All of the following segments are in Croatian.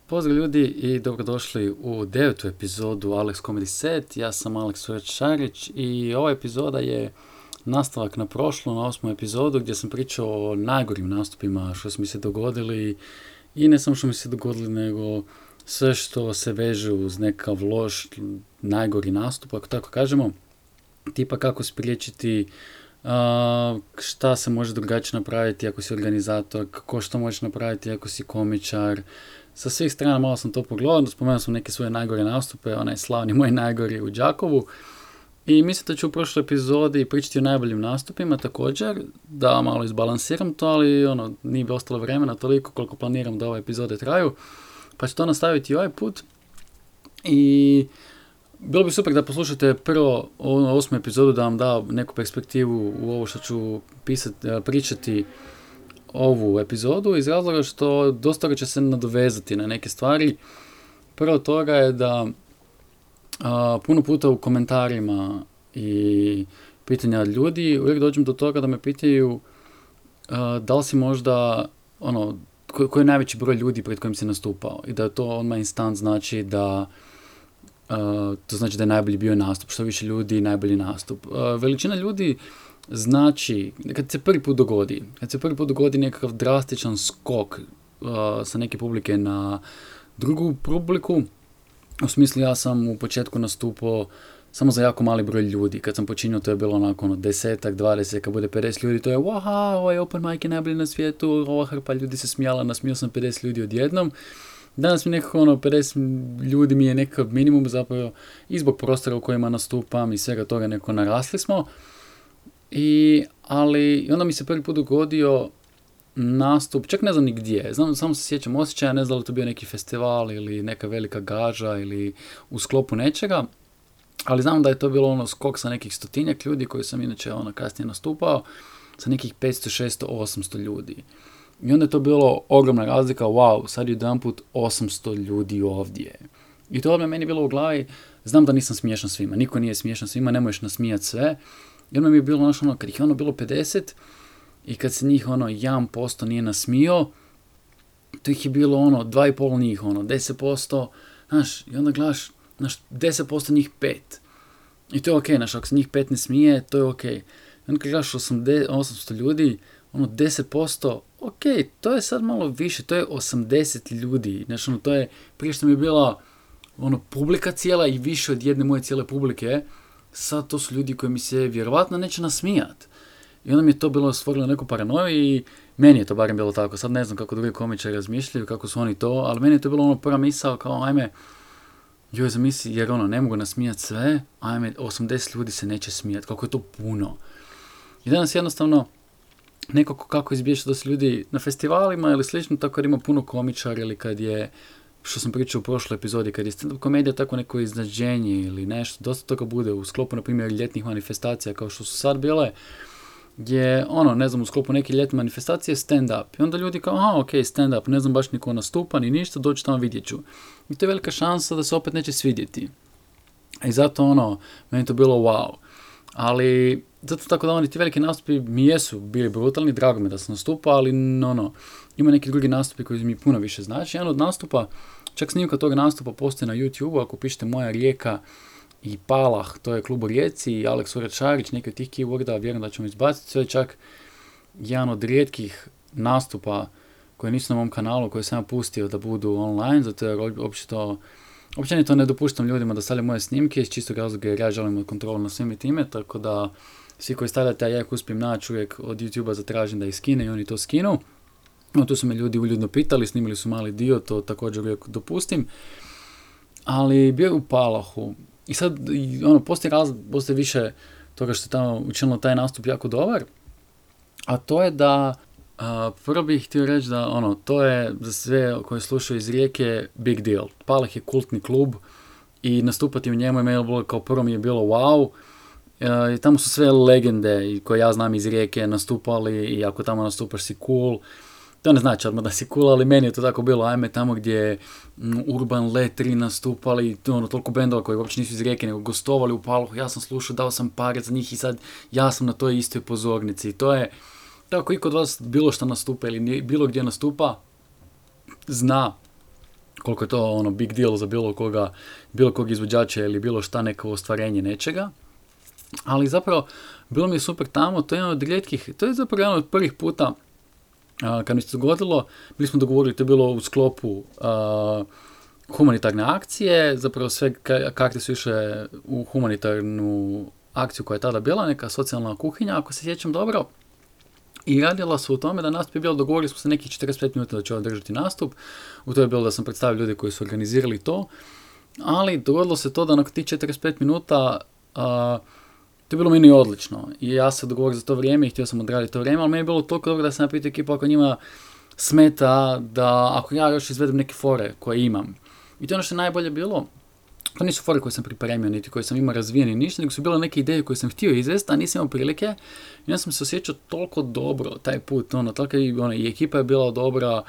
Pozdrav ljudi i dobrodošli u 9. epizodu Alex Comedy Set. Ja sam Alex Šarić i ova epizoda je nastavak na prošlu, na 8. epizodu gdje sam pričao o najgorim nastupima što su mi se dogodili i ne samo što mi se dogodili, nego sve što se veže uz nekakav loš, najgori nastup, ako tako kažemo, tipa kako spriječiti, šta se može drugačije napraviti ako si organizator, kako što možeš napraviti ako si komičar. Sa svih strana malo sam to pogledao, spomenuo sam neke svoje najgore nastupe, onaj slavni moj najgori u Đakovu. I mislim da ću u prošloj epizodi pričati o najboljim nastupima također, da malo izbalansiram to, ali nije bi ostalo vremena toliko koliko planiram da ove epizode traju. Pa ću to nastaviti i ovaj put. I bilo bi super da poslušate prvo ovu 8. epizodu, da vam da neku perspektivu u ovo što ću pričati ovu epizodu, iz razloga što dosta će se nadovezati na neke stvari. Prvo toga je da puno puta u komentarima i pitanja ljudi uvijek dođem do toga da me pitaju da li si možda koji je najveći broj ljudi pred kojim si nastupao i da to odmah instant znači da to znači da je najbolji bio nastup, što više ljudi najbolji nastup. Veličina ljudi znači, kad se prvi put dogodi nekakav drastičan skok sa neke publike na drugu publiku, u smislu ja sam u početku nastupao samo za jako mali broj ljudi, kad sam počinio to je bilo onako 10, 20, kad bude 50 ljudi to je wow, ovaj open mic je najbolji na svijetu, ova hrpa ljudi se smijala, nasmio sam 50 ljudi odjednom. Danas mi nekako 50 ljudi mi je nekakav minimum zapravo i zbog prostora u kojima nastupam i svega toga nekako narasli smo. Ali onda mi se prvi put dogodio nastup, čak ne znam ni gdje, samo se sjećam osjećaja, ne znam da li to bio neki festival ili neka velika gaža ili u sklopu nečega, ali znam da je to bilo skok sa nekih 100-tinjak ljudi koji sam inače kasnije nastupao, sa nekih 500, 600, 800 ljudi. I onda je to bilo ogromna razlika, wow, sad je jedanput 800 ljudi ovdje. I to odmah meni bilo u glavi, znam da nisam smiješan svima, niko nije smiješan svima, ne možeš nasmijati sve. I onda mi je bilo kad ih je bilo 50 i kad se njih 1% nije nasmio, to ih je bilo 2,5 njih, 10%, znaš, i onda gledaš, 10% njih 5. I to je okej, ako se njih 5 ne smije, to je okej. I onda kad gledaš 800 ljudi, 10%, okej, to je sad malo više, to je 80 ljudi, znači to je, prije što mi je bila publika cijela i više od jedne moje cijele publike, sad to su ljudi koji mi se vjerovatno neće nasmijat. I onda mi je to bilo stvorilo neku paranoju i meni je to barem bilo tako. Sad ne znam kako drugi komičari razmišljaju, kako su oni to, ali meni je to bilo prva misao kao ajme, joj zamisli, jer ne mogu nasmijat sve, ajme, 80 ljudi se neće smijat, kako je to puno. I danas jednostavno, nekako kako izbjeći da su ljudi na festivalima ili slično, tako kad ima puno komičara ili kad je, što sam pričao u prošloj epizodi, kad je stand-up komedija tako neko iznađenje ili nešto, dosta toga bude u sklopu, na primjer, ljetnih manifestacija kao što su sad bile, gdje, u sklopu neke ljetne manifestacije stand-up. I onda ljudi kao, ok, stand-up, ne znam baš niko nastupa ni ništa, dođu tamo vidjet ću. I to je velika šansa da se opet neće svidjeti. I zato, meni to bilo wow. Ali, zato tako da ti veliki nastupi mi jesu bili brutalni, drago mi da sam nastupao, ali ima neki drugi nastupi koji mi puno više znači. Jedan od nastupa, čak snimka toga nastupa postoji na YouTube, ako pišete Moja Rijeka i Palah, to je klub u Rijeci, i Alex Šarić, neki od tih keyworda, vjerujem da ćemo izbaciti. To je čak jedan od rijetkih nastupa koji nisu na mom kanalu, koji sam ja pustio da budu online, zato jer općenito ne dopuštam ljudima da stavljaju moje snimke iz čistog razloga jer ja želim kontrolu na svim i time, tako da svi koji stavljate, a ja ih uspijem naći uvijek od YouTube-a zatražim da ih skine i oni to skinu. Tu su me ljudi uljudno pitali, snimili su mali dio, to također uvijek dopustim. Ali bio je u Palahu. I sad, postoji više toga što je tamo učinilo taj nastup jako dobar. A to je da, prvo bih htio reći da, to je za sve koji slušaju iz Rijeke big deal. Palah je kultni klub i nastupati u njemu je meni bilo, kao prvo mi je bilo wow. Tamo su sve legende koje ja znam iz Rijeke nastupali i ako tamo nastupaš si cool. To ne znači odmah da si cool, ali meni je to tako bilo, ajme tamo gdje je Urban Letri nastupali, toliko bendova koji uopće nisu iz Rijeke, nego gostovali u Palahu, ja sam slušao, dao sam pare za njih i sad ja sam na toj istoj pozornici. I to je, tako i kod vas bilo što nastupa ili bilo gdje nastupa, zna koliko je to ono big deal za bilo kog izvođača ili bilo šta neko ostvarenje nečega. Ali zapravo, bilo mi je super tamo, to je jedan od rijetkih, to je zapravo jedan od prvih puta kad mi se dogodilo, bili smo dogovorili, to je bilo u sklopu humanitarne akcije, zapravo sve karte su išle u humanitarnu akciju koja je tada bila, neka socijalna kuhinja, ako se sjećam dobro. I radila su u tome da nastup je bilo, dogovorili smo se nekih 45 minuta da će održati nastup. U to je bilo da sam predstavio ljude koji su organizirali to. Ali dogodilo se to da nakon tih 45 minuta to je bilo meni odlično. I ja se dogovorio za to vrijeme i htio sam odraditi to vrijeme, ali meni je bilo toliko dobro da sam napitao ekipu ako njima smeta da ako ja još izvedem neke fore koje imam. I to je ono što je najbolje bilo. To nisu fore koje sam pripremio, niti koje sam imao razvijeni ništa, nego su bile neke ideje koje sam htio izvesti, a nisam imao prilike. I ja sam se osjećao toliko dobro taj put, i ekipa je bila dobra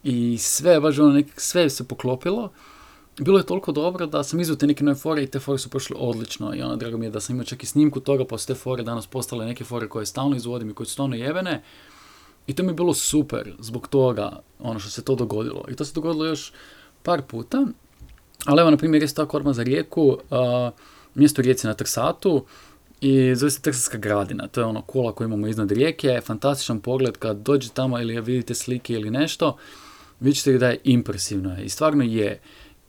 i sve, baš sve se poklopilo. Bilo je toliko dobro da sam izveo te neke nove fore i te fore su prošle odlično. I drago mi je da sam imao čak i snimku toga, pa su te fore danas postale neke fore koje stalno izvodim i koje su stvarno jebene. I to mi je bilo super zbog toga, što se to dogodilo. I to se dogodilo još par puta. Ali evo, na primjer, je tako odmah za Rijeku, mjesto u Rijeci na Trsatu i zove se Trsatska gradina. To je kula koju imamo iznad rijeke, fantastičan pogled kad dođete tamo ili vidite slike ili nešto, vidjet ćete da je impresivno i stvarno je.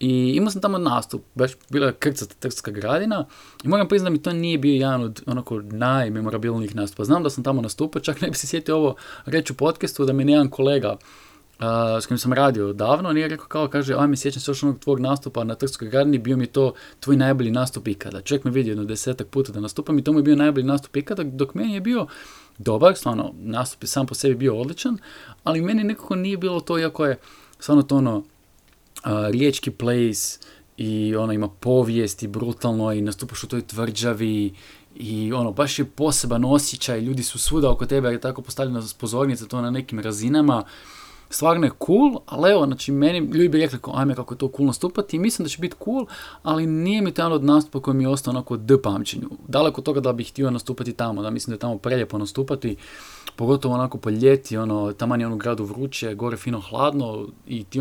I imao sam tamo nastup, baš bila je krcata Trsatska gradina i moram priznati da mi to nije bio jedan od najmemorabilnijih nastupa. Znam da sam tamo nastupao, čak ne bi se sjetio ovo reći u podcastu da mi jedan kolega s kojim sam radio davno, nije rekao kaže, ajme, sjećam se još onog tvojeg nastupa na Trstskoj gradini, bio mi to tvoj najbolji nastup ikada. Čovjek me vidio 10 puta da nastupam i to mi je bio najbolji nastup ikada, dok meni je bio dobar, stvarno, nastup je sam po sebi bio odličan, ali meni nekako nije bilo to, iako je stvarno to riječki place i ima povijest i brutalno i nastupaš u toj tvrđavi i baš je poseban osjećaj, ljudi su svuda oko tebe, jer je tako postavljena pozornica, to na nekim razinama. Stvarno je cool, ali evo, znači meni ljudi bi rekli ajme kako je to cool nastupati i mislim da će biti cool, ali nije mi to jedan od nastupa koji mi je ostao onako d pamćenju. Daleko od toga da bih htio nastupati tamo, da mislim da je tamo prelijepo nastupati, pogotovo onako po ljeti, taman je u gradu vruće, gore fino hladno i ti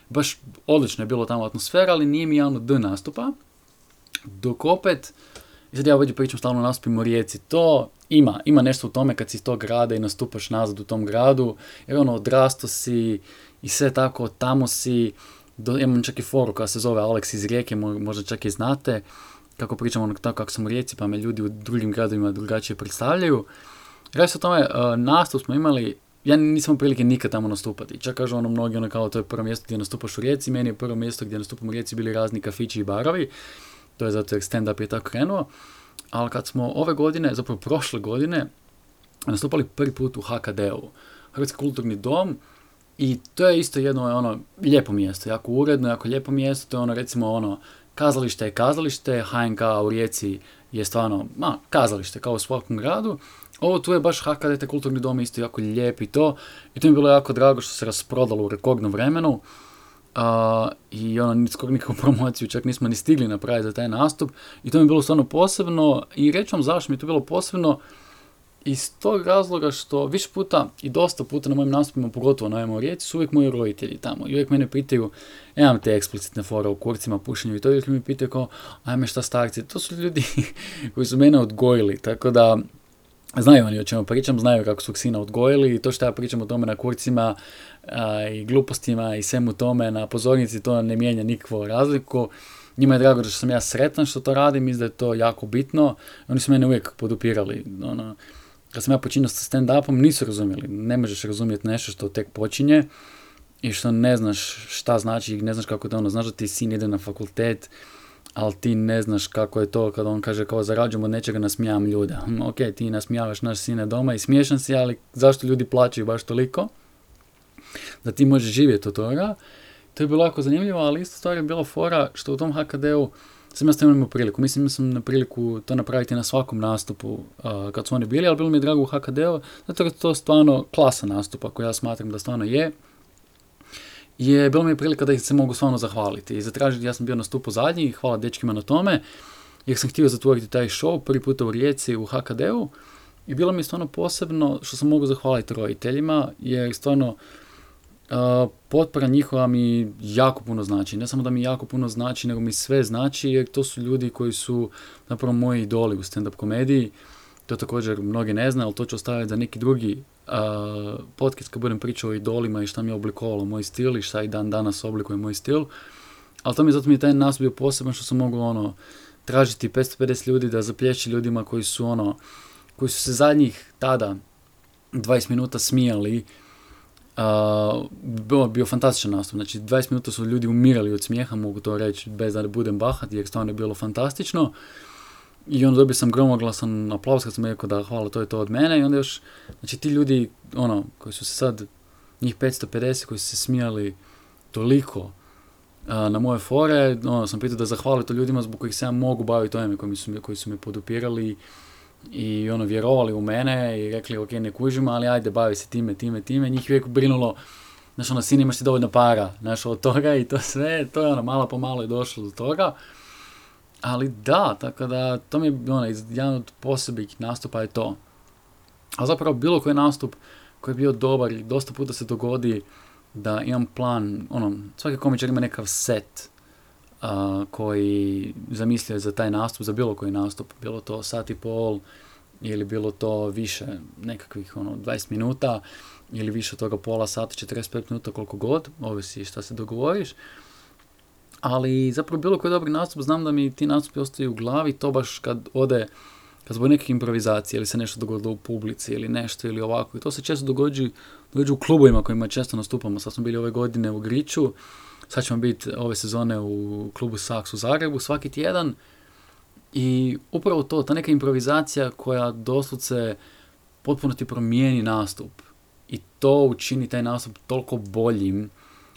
baš odlično je bilo tamo atmosfera, ali nije mi jedan od d nastupa. Dok opet, i sad ja ovdje pričam stalno nastupim u Rijeci, to ima nešto u tome kad si iz tog grada i nastupaš nazad u tom gradu, jer odrasto si i sve tako, tamo si, imam čak i foru koja se zove Alex iz Rijeke, možda čak i znate, kako pričam tako kako sam u Rijeci, pa me ljudi u drugim gradovima drugačije predstavljaju. Radi se o tome, nastup smo imali, ja nisam prilike nikad tamo nastupati, čak kažu mnogi kao to je prvo mjesto gdje nastupaš u Rijeci, meni je prvo mjesto gdje nastupam u Rijeci bili razni kafići i barovi, to je zato jer stand-up je tako krenuo. Ali kad smo ove godine, zapravo prošle godine, nastupali prvi put u HKD-u, Hrvatski kulturni dom, i to je isto jedno lijepo mjesto, jako uredno, jako lijepo mjesto, to je recimo kazalište je kazalište, HNK u Rijeci je stvarno kazalište kao u svakom gradu. Ovo tu je baš HKD, te kulturni dom, isto jako lijep i to mi je bilo jako drago što se rasprodalo u rekordnom vremenu. I skoro nikakvu promociju čak nismo ni stigli napraviti za taj nastup i to mi je bilo stvarno posebno i reći vam zašto mi je to bilo posebno iz tog razloga što više puta i dosta puta na mojim nastupima, pogotovo na ovim u Rijeci, su uvijek moji roditelji tamo i uvijek mene pitaju, imam te eksplicitne fore u kurcima, pušenju i to uvijek mi pitaju kao, ajme šta starci, to su ljudi koji su mene odgojili, tako da znaju oni o čemu pričam, znaju kako su sina odgojili i to što ja pričam o tome na kurcima i glupostima i svemu tome na pozornici, to ne mijenja nikakvu razliku. Njima je drago da sam ja sretan što to radim, mislim da je to jako bitno. Oni su mene uvijek podupirali. Kad sam ja počinio sa stand-upom, nisu razumjeli. Ne možeš razumjeti nešto što tek počinje i što ne znaš šta znači, ne znaš kako to znaš da ti sin ide na fakultet, ali ti ne znaš kako je to kada on kaže kao zarađujem od nečega, nasmijavam ljude. Ok, ti nasmijavaš naš sine doma i smiješan si, ali zašto ljudi plaćaju baš toliko? Da ti možeš živjeti od toga. To je bilo jako zanimljivo, ali isto stvar je bila fora što u tom HKD-u sam ja stavio imao priliku. Mislim sam na priliku to napraviti na svakom nastupu kad su oni bili, ali bilo mi je drago u HKD-u, zato je to stvarno klasa nastupa koji ja smatram da stvarno je bilo mi je prilika da ih se mogu stvarno zahvaliti i zatražiti. Ja sam bio na stupu zadnji, hvala dečkima na tome, jer sam htio zatvoriti taj show prvi puta u Rijeci u HKD-u i bilo mi je stvarno posebno što sam mogu zahvaliti roditeljima, jer stvarno Potpora njihova mi jako puno znači. Ne samo da mi jako puno znači, nego mi sve znači, jer to su ljudi koji su zapravo moji idoli u stand-up komediji. To također mnogi ne znaju, ali to ću ostaviti za neki drugi podcast kad budem pričao o idolima i šta mi je oblikovalo moj stil i šta i dan danas oblikuje moj stil. Ali zato mi je taj nastup bio poseban što sam mogao tražiti 550 ljudi da zaplješi ljudima koji su se zadnjih tada 20 minuta smijali. Bio fantastičan nastup, znači 20 minuta su ljudi umirali od smijeha, mogu to reći bez da budem bahat, jer stvarno je bilo fantastično. I onda dobio sam gromoglasan aplauz kad sam rekao da hvala, to je to od mene. I onda još, znači ti ljudi, koji su se sad, njih 550 koji su se smijali toliko na moje fore, sam pitao da zahvali to ljudima zbog kojih se ja mogu baviti ovime, koji su me podupirali i vjerovali u mene i rekli ok, ne kužimo, ali ajde bavi se time. Njih uvijek brinulo, znaš, sin imaš ti dovoljno para, znaš, od toga i to sve, to je malo po malo je došlo do toga. Ali da, tako da, to mi je jedan od posebnih nastupa je to. A zapravo bilo koji nastup koji je bio dobar i dosta puta se dogodi da imam plan, svaki komičar ima nekakav set koji zamislio za taj nastup, za bilo koji nastup, bilo to sat i pol ili bilo to više nekakvih 20 minuta ili više od toga pola sata, 45 minuta, koliko god, ovisi šta se dogovoriš. Ali zapravo bilo koji dobri nastup, znam da mi ti nastupi ostaju u glavi, to baš kad zbog nekih improvizacije ili se nešto dogodilo u publici ili nešto ili ovako. I to se često događa u klubovima kojima često nastupamo. Sad smo bili ove godine u Griču, sad ćemo biti ove sezone u klubu Saks u Zagrebu svaki tjedan. I upravo ta neka improvizacija koja doslovce potpuno ti promijeni nastup. I to učini taj nastup toliko boljim.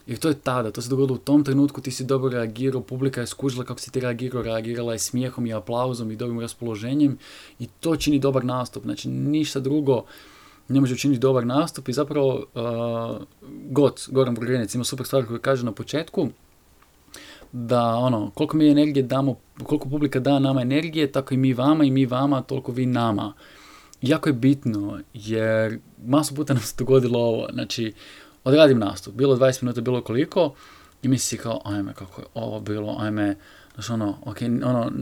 Jer to je tada, to se dogodilo u tom trenutku, ti si dobro reagirao, publika je skužila kako si ti reagirala je smijehom i aplauzom i dobrim raspoloženjem i to čini dobar nastup. Znači ništa drugo ne može učiniti dobar nastup i zapravo Goran Burgenec ima super stvar koju kaže na početku da koliko mi energije damo, koliko publika da nama energije, tako i mi vama, toliko vi nama. Jako je bitno jer masu puta nam se dogodilo ovo, znači odradim nastup, bilo 20 minuta, bilo koliko, i misli kao, ajme, kako je ovo bilo, ajme, znaš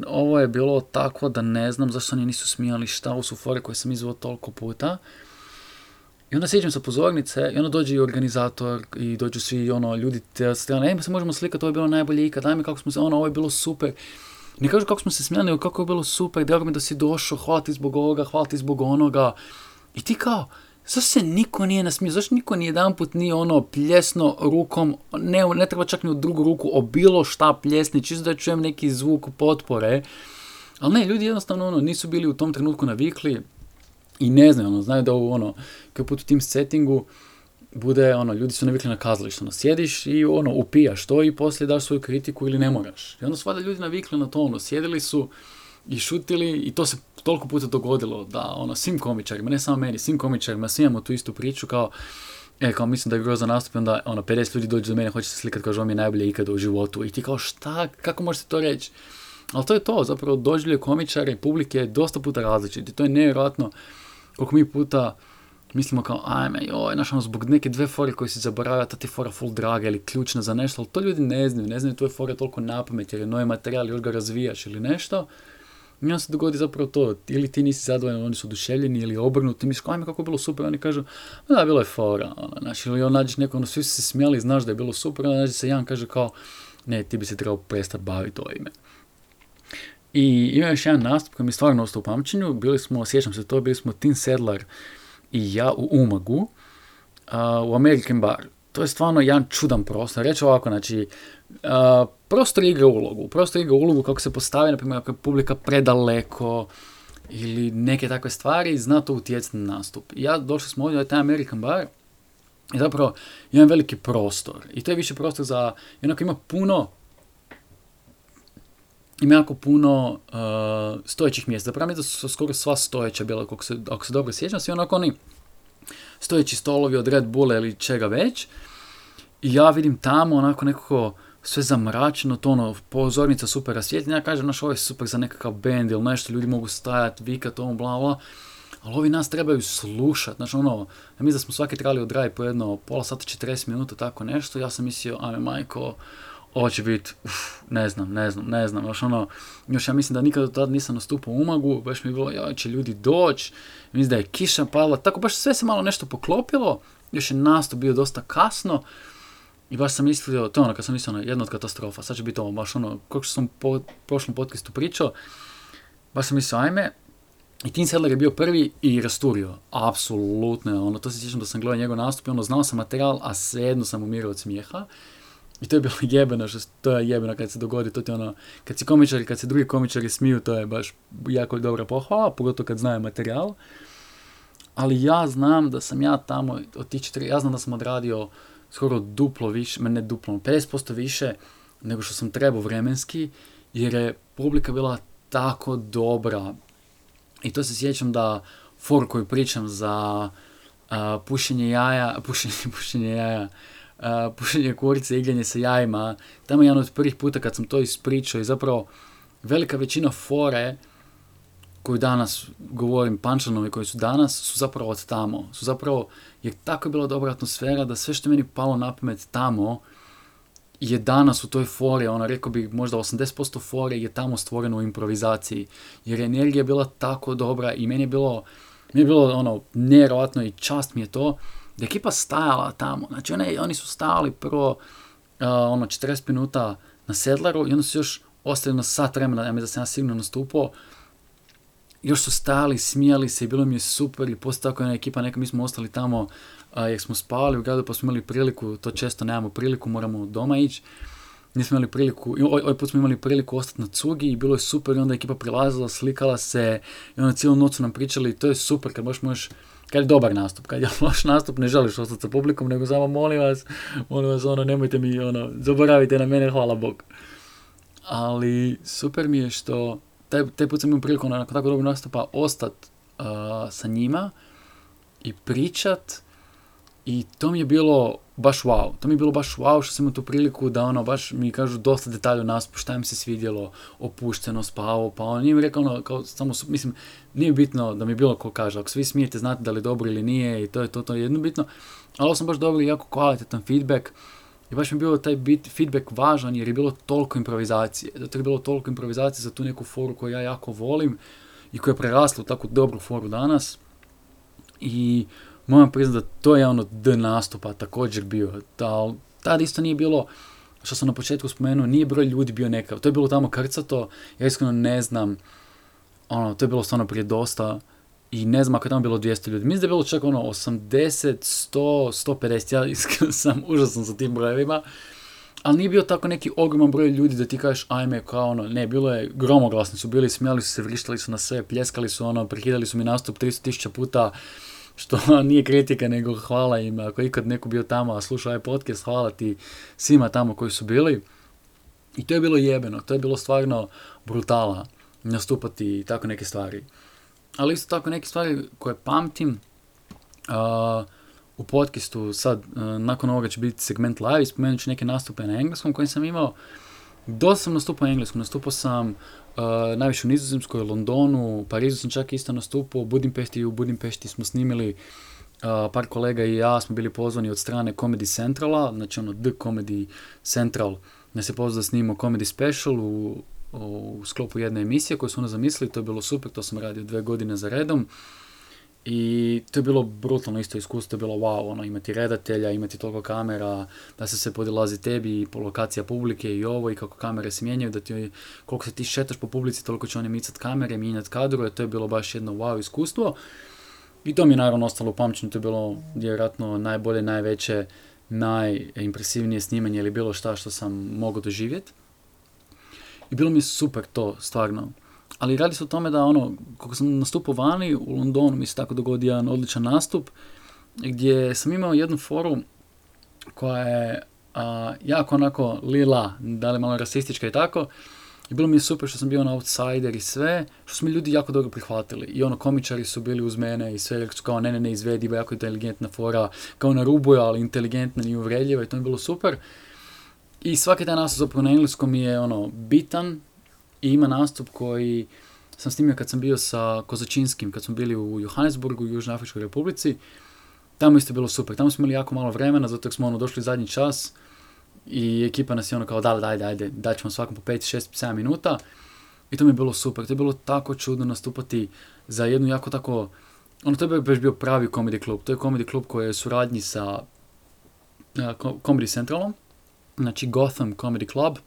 ovo je bilo tako da ne znam zašto oni nisu smijali, šta ovo su fore koje sam izveo toliko puta. I onda sjeđem sa pozornice i onda dođe i organizator i dođu svi ljudi te strane, se možemo slikati, ovo je bilo najbolje ikad, ajme kako smo se, ovo je bilo super. Ne kažu kako smo se smijali, nego kako je bilo super, drago mi da si došao, hvala ti zbog ovoga, hvala ti zbog onoga. I ti kao, zašto se niko nije nasmio, zašto niko ni jedan put nije pljesno rukom, ne treba čak ni u drugu ruku, o bilo šta pljesni, čisto da čujem neki zvuk potpore. Ali ne, ljudi jednostavno nisu bili u tom trenutku navikli i ne znaju, znaju da ovo kao put u tim settingu bude, ljudi su navikli na kazalište, sjediš i upijaš to i poslije daš svoju kritiku ili ne moraš. I onda su valjda ljudi navikli na to, sjedili su i šutili i to se toliko puta dogodilo da svim komičarima, ne samo meni, svim komičarima, svi imamo tu istu priču kao mislim da je grozan nastup, onda 50 ljudi dođe do mene, hoće se slikati, kaže ovo mi je najbolje ikada u životu i ti kao šta, kako možete to reći? Ali to je to, zapravo doživljaj komičara i publike je dosta puta različiti, to je nevjerojatno koliko mi puta mislimo kao ajme, zbog neke dve fore koje si zaboravio, ta ti fora full draga ili ključna za nešto, ali to ljudi ne znaju tvoje fore toliko napamet jer je novi materijal, još ga razvijaš ili nešto. I onda se dogodi zapravo to, ili ti nisi zadovoljan, oni su oduševljeni, ili obrnuti, misliš, ajme kako je bilo super, oni kažu, da, bilo je fora, ili nađeš neko, svi su se smijali, znaš da je bilo super, onda nađe se jedan kaže kao, ne, ti bi se trebao prestati baviti ovime. I ima još jedan nastup koji mi stvarno ostao u pamćenju, sjećam se to, bili smo Tim Sedlar i ja u Umagu, u American Bar. To je stvarno jedan čudan prostor. Reći ovako, znači, prostor igra ulogu kako se postavi, na primjer, ako je publika predaleko ili neke takve stvari, zna to utjecati na nastup. I ja došli smo ovdje u taj American Bar i zapravo imam veliki prostor. I to je više prostor za, jednako ima jako puno stojećih mjesta. Zapravo mi da su skoro sva stojeća bila, ako se dobro sjećam, svi onako oni stojeći stolovi od Red Bulla ili čega već. I ja vidim tamo onako nekako sve zamračeno, to pozornica super rasvjetljena. Ja kažem, ovo je super za nekakav band ili nešto, ljudi mogu stajati, vikati, bla bla. ali ovi nas trebaju slušati, znači ono, ja mislim da smo svaki trebali odraditi po jedno pola sata, 40 minuta, tako nešto, ja sam mislio, ajme majko, ovo će biti, ne znam, još ono, još ja mislim da nikada do tada nisam nastupao u Umagu, baš mi je bilo, ja će ljudi doći, mislim da je kiša padala, tako baš sve se malo nešto poklopilo, još je nastup bio dosta kasno, i baš sam mislio, to je ono, kad sam mislio, jedna od katastrofa, sad će biti ovo, baš ono, kako što sam po prošlom podcastu pričao, baš sam mislio, ajme, i Tim Sadler je bio prvi i rasturio, apsolutno, ono, to se sjećam da sam gledao njegov nastup i ono, znao sam materijal, a svejedno sam umirao od smijeha. I to je bilo jebeno, to je jebeno kad se dogodi, to ti ono, kad se drugi komičari smiju, to je baš jako dobra pohvala, pogotovo kad znaju materijal. Ali ja znam da sam ja tamo, ja znam da sam odradio skoro duplo više, ne duplo, 50% više nego što sam trebao vremenski, jer je publika bila tako dobra. I to se sjećam da for koju pričam za pušenje kurice, igranje sa jajima, tamo je jedan od prvih puta kad sam to ispričao i zapravo velika većina fore koju danas govorim, punchline koji su danas, su zapravo od tamo. Su zapravo, jer tako je bila dobra atmosfera da sve što meni palo na pamet tamo je danas u toj fori, ono, rekao bih možda 80% fore je tamo stvoreno u improvizaciji, jer energija je bila tako dobra i meni je bilo ono, nevjerojatno i čast mi je to, da je ekipa stajala tamo, znači oni su stajali prvo 40 minuta na Sedlaru i onda su još ostali na sat vremena, ja mislim da sam ja sigurno nastupao, još su stajali, smijali se i bilo mi je super i poslije tako jedna ekipa, mi smo ostali tamo jer smo spavali u gradu pa smo imali priliku, to često nemamo priliku, moramo doma ići, nismo imali priliku, ovaj put smo imali priliku ostati na cugi i bilo je super i onda ekipa prilazila, slikala se i onda cijelu noć su nam pričali i to je super kad možeš, kad je dobar nastup, kad je loš nastup ne želiš ostati sa publikom nego samo molim vas ono, nemojte mi zaboravite na mene, hvala Bog. Ali super mi je što taj put sam imao priliku nakon tako dobrog nastupa ostati sa njima i pričat i to mi je bilo baš wow. To mi je bilo baš wow što sam imao tu priliku da baš mi kažu dosta detalja o nastupu, šta im se svidjelo, opušteno, spavo, pa nije mi rekao kao samo, mislim, nije bitno da mi bilo ko kaže, ako svi smijete znate da li je dobro ili nije i to je jedno bitno, ali ovo sam baš dobio jako kvalitetan feedback. I baš mi je bilo taj feedback važan jer je bilo toliko improvizacije. Zato je bilo toliko improvizacije za tu neku foru koju ja jako volim i koja je prerasla u takvu dobru foru danas. I moram priznati da to je nastupa također bio. Tad isto nije bilo, što sam na početku spomenuo, nije broj ljudi bio nekav. To je bilo tamo krcato, ja iskreno ne znam, to je bilo stvarno prije dosta. I ne znam ako je tamo bilo 200 ljudi. Mislim da je bilo čak 80, 100, 150. Ja iskreno sam užasan sa tim brojevima. Ali nije bio tako neki ogroman broj ljudi da ti kažeš ajme kao ne, bilo je gromoglasni su bili, smijali su se, vrištali su na sve, pljeskali su prekidali su mi nastup 300.000 puta, što nije kritika nego hvala im. Ako je ikad neko bio tamo, a slušao ovaj podcast, hvala ti svima tamo koji su bili. I to je bilo jebeno, to je bilo stvarno brutala nastupati tako neke stvari. Ali isto tako neke stvari koje pamtim u podcastu, sad nakon ovoga će biti segment live i spomenut ću neke nastupe na engleskom koje sam imao. Dosta sam nastupao na engleskom, nastupao sam najviše u Nizozemskoj, Londonu, u Parizu sam čak isto nastupao, u Budimpešti smo snimili, par kolega i ja smo bili pozvani od strane Comedy Centrala, znači The Comedy Central, nas je pozvao da snimimo Comedy Special u sklopu jedne emisije koju su zamislili, to je bilo super, to sam radio 2 godine za redom i to je bilo brutalno isto iskustvo, to je bilo wow, imati redatelja, imati toliko kamera, da se sve podilazi tebi i po lokacija publike i ovo i kako kamere se mijenjaju, da ti, koliko se ti šetaš po publici, toliko će oni micati kamere, mijenjati kadrove, to je bilo baš jedno wow iskustvo i to mi je naravno ostalo u pamćenju, to je bilo vjerojatno najbolje, najveće, najimpresivnije snimanje ili bilo šta što sam mogao doživjeti. I bilo mi je super to, stvarno. Ali radi se o tome da kako sam nastupao vani, u Londonu mi se tako dogodio jedan odličan nastup, gdje sam imao jednu foru koja je jako onako lila, da li malo rasistička i tako. I bilo mi je super što sam bio outsider i sve, što su mi ljudi jako dobro prihvatili. I komičari su bili uz mene i sve su kao ne izvediva, jako inteligentna fora, kao na rubu, ali inteligentna, nije uvredljiva i to mi je bilo super. I svaki taj nastup zapravo na engleskom je bitan i ima nastup koji sam snimio kad sam bio sa Kozačinskim, kad smo bili u Johannesburgu, u Južnoafričkoj Republici. Tamo isto bilo super, tamo smo imali jako malo vremena, zato smo došli zadnji čas i ekipa nas je kao ajde, daćemo svakom po 5, 6, 7 minuta. I to mi je bilo super, to je bilo tako čudno nastupati za jednu jako tako, to je baš bio pravi comedy klub, to je comedy klub koji je u suradnji sa Comedy Centralom, znači Gotham Comedy Club,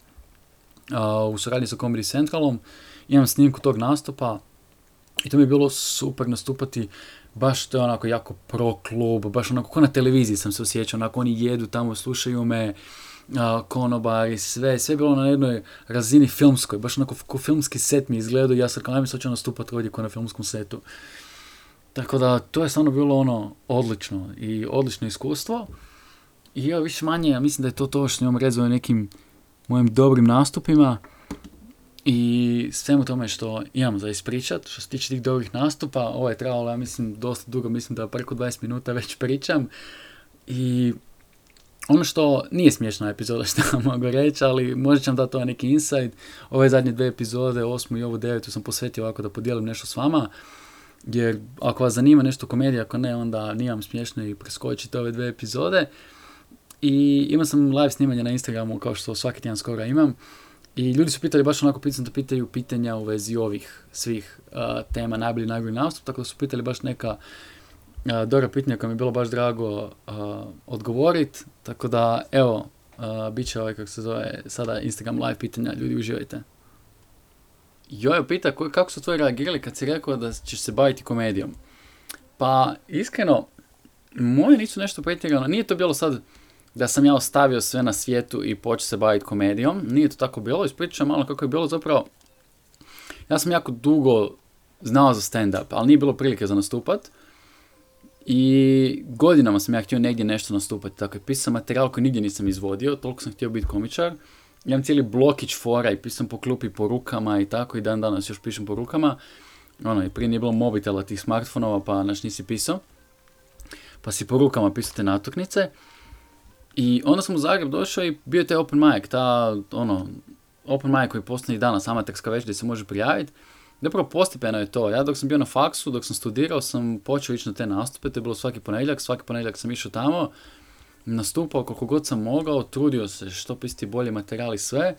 u suradnji sa Comedy Centralom, imam snimku tog nastupa i to mi je bilo super nastupati, baš to je onako jako pro klub, baš onako ko na televiziji sam se osjećao, onako oni jedu tamo, slušaju me, konobari, sve je bilo na jednoj razini filmskoj, baš onako ko filmski set mi izgledao i ja sam kao najmi sad ću nastupati ovdje ko na filmskom setu. Tako da to je stvarno bilo odlično i odlično iskustvo. I ja više manje, ja mislim da je to što imam rezao nekim mojim dobrim nastupima i svemu tome što imam za ispričat. Što se tiče tih dobrih nastupa, ovo je trebalo, ja mislim, dosta dugo, mislim da preko 20 minuta već pričam. I ono što nije smiješna epizoda što mogu reći, ali možda ću vam dati neki insight. Ove zadnje 2 epizode, 8. i ovu 9. sam posvetio ovako da podijelim nešto s vama. Jer ako vas zanima nešto komedija, ako ne, onda nije vam smiješno i preskočite ove 2 epizode. I imao sam live snimanje na Instagramu, kao što svaki tjedan skoro imam. I ljudi su pitali, baš onako da pitaju pitanja u vezi ovih svih tema, najbolji nastup, tako da su pitali baš neka dobra pitanja koja mi je bilo baš drago odgovoriti. Tako da, evo, bit će kako se zove, sada Instagram live pitanja, ljudi uživajte. Jojo pita kako su tvoji reagirali kad si rekao da ćeš se baviti komedijom. Pa, iskreno, moji nisu nešto pretjerano, nije to bilo sad da sam ja ostavio sve na svijetu i počeo se baviti komedijom, nije to tako bilo, ispričam malo kako je bilo zapravo. Ja sam jako dugo znao za stand-up, ali nije bilo prilike za nastupat. I godinama sam ja htio negdje nešto nastupati, tako je pisao materijal koji nigdje nisam izvodio, toliko sam htio biti komičar. Imam cijeli blokić fora i pisam po klupi po rukama i tako i dan danas još pišem po rukama. I prije nije bilo mobitela tih smartfonova pa nisi pisao. Pa si po rukama pisao te natuknice. I onda sam u Zagreb došao i bio je taj open mic, open mic koji postoji i danas, amaterska večer gdje se može prijaviti. Zapravo postepeno je to. Ja dok sam bio na faksu, dok sam studirao, sam počeo ići na te nastupe, to je bilo svaki ponedjeljak sam išao tamo, nastupao koliko god sam mogao, trudio se što pisati bolje materijal i sve.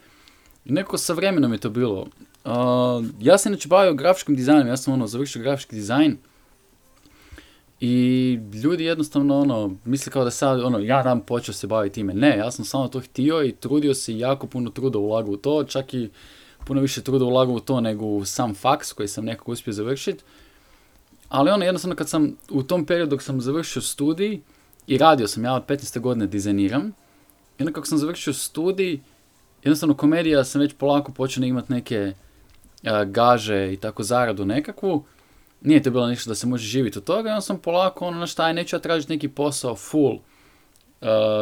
I nekako sa vremenom je to bilo. Ja sam inače bavio grafičkim dizajnom, ja sam završio grafički dizajn. I ljudi jednostavno misle kao da sad ja dam počeo se baviti time. Ne, ja sam samo to htio i trudio se i jako puno truda ulagao u to, čak i puno više truda ulagao u to nego u sam faks koji sam nekako uspio završiti. Ali jednostavno kad sam u tom periodu dok sam završio studij i radio sam, ja od 15. godine dizajniram. I onda kako sam završio studij, jednostavno komedija sam već polako počeo imati neke gaže i tako zaradu nekakvu. Nije to bilo nešto da se može živjeti od toga, i onda sam polako, neću ja tražiti neki posao full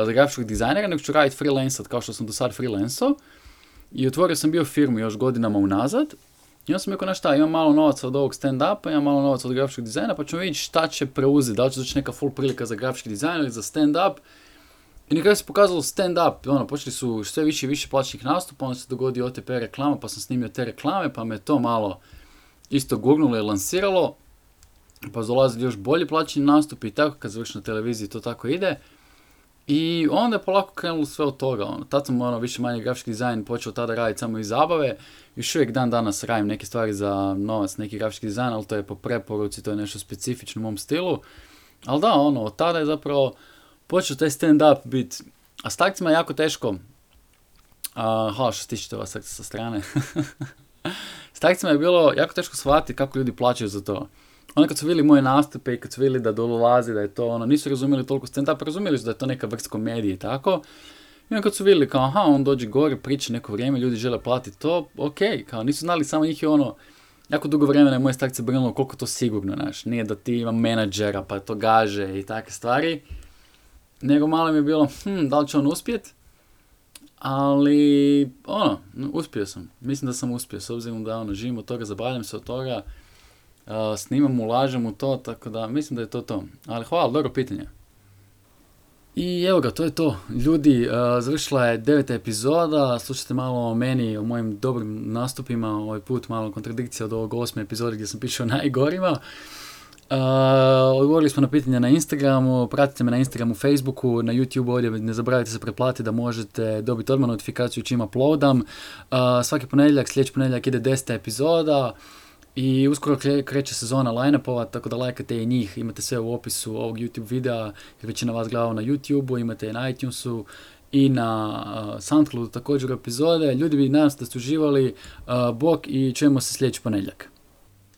za grafičkog dizajnera, nego ću raditi freelancat kao što sam do sad freelancao. I otvorio sam bio firmu još godinama unazad. I onda sam rekao, imam malo novaca od ovog stand-upa, imam malo novaca od grafičkog dizajna, pa ćemo vidjeti šta će preuzeti, da li će doći neka full prilika za grafički dizajn ili za stand-up. I na kraju se pokazalo stand-up, počeli su sve više i više plaćenih nastupa, onda se dogodio OTP reklama, pa sam snimio te reklame, pa me to malo isto gurnulo i lansiralo, pa dolazili još bolji plaćeni nastupi i tako, kad završim na televiziji to tako ide. I onda je polako krenulo sve od toga. Tad sam više manje grafički dizajn počeo tada raditi samo iz zabave. Još uvijek dan danas radim neke stvari za novac, neki grafički dizajn, ali to je po preporuci, to je nešto specifično u mom stilu. Ali da, od tada je zapravo počeo taj stand-up biti. A s takcima je jako teško. Što se tiče toga sa strane. S takcima je bilo jako teško shvatiti kako ljudi plaćaju za to. Onda kad su vidjeli moje nastupe i kad su vidjeli da dolazi, da je to nisu razumjeli toliko stand-up, razumjeli su da je to neka vrsta komedije i tako. I onda kad su vidjeli kao, on dođe gore, priča neko vrijeme, ljudi žele platiti to, kao nisu znali, samo njih je jako dugo vremena je moje stakce brinulo koliko to sigurno, nije da ti ima menadžera, pa to gaže i takve stvari. Nego malo mi je bilo, da li će on uspjet? Ali, uspio sam. Mislim da sam uspio, s obzirom da živim od toga, zabavljam se od toga. Snimam, ulažem u to, tako da mislim da je to. Ali hvala, dobro pitanje. I evo ga, to je to. Ljudi, završila je 9. epizoda, slušajte malo o meni, o mojim dobrim nastupima, ovaj put malo kontradikcija od ovog 8. epizode gdje sam pišao najgorima. Odgovorili smo na pitanja na Instagramu, pratite me na Instagramu, Facebooku, na YouTube ovdje, ne zaboravite se pretplatiti da možete dobiti odmah notifikaciju čim uploadam. Svaki ponedjeljak, sljedeći ponedjeljak ide 10. epizoda. I uskoro kreće sezona line-upova, tako da lajkate i njih, imate sve u opisu ovog YouTube videa, jer većina vas gleda na YouTube-u, imate i na iTunesu i na SoundCloudu također epizode. Ljudi, nadam se da ste uživali, bok i čujemo se sljedeći ponedjeljak.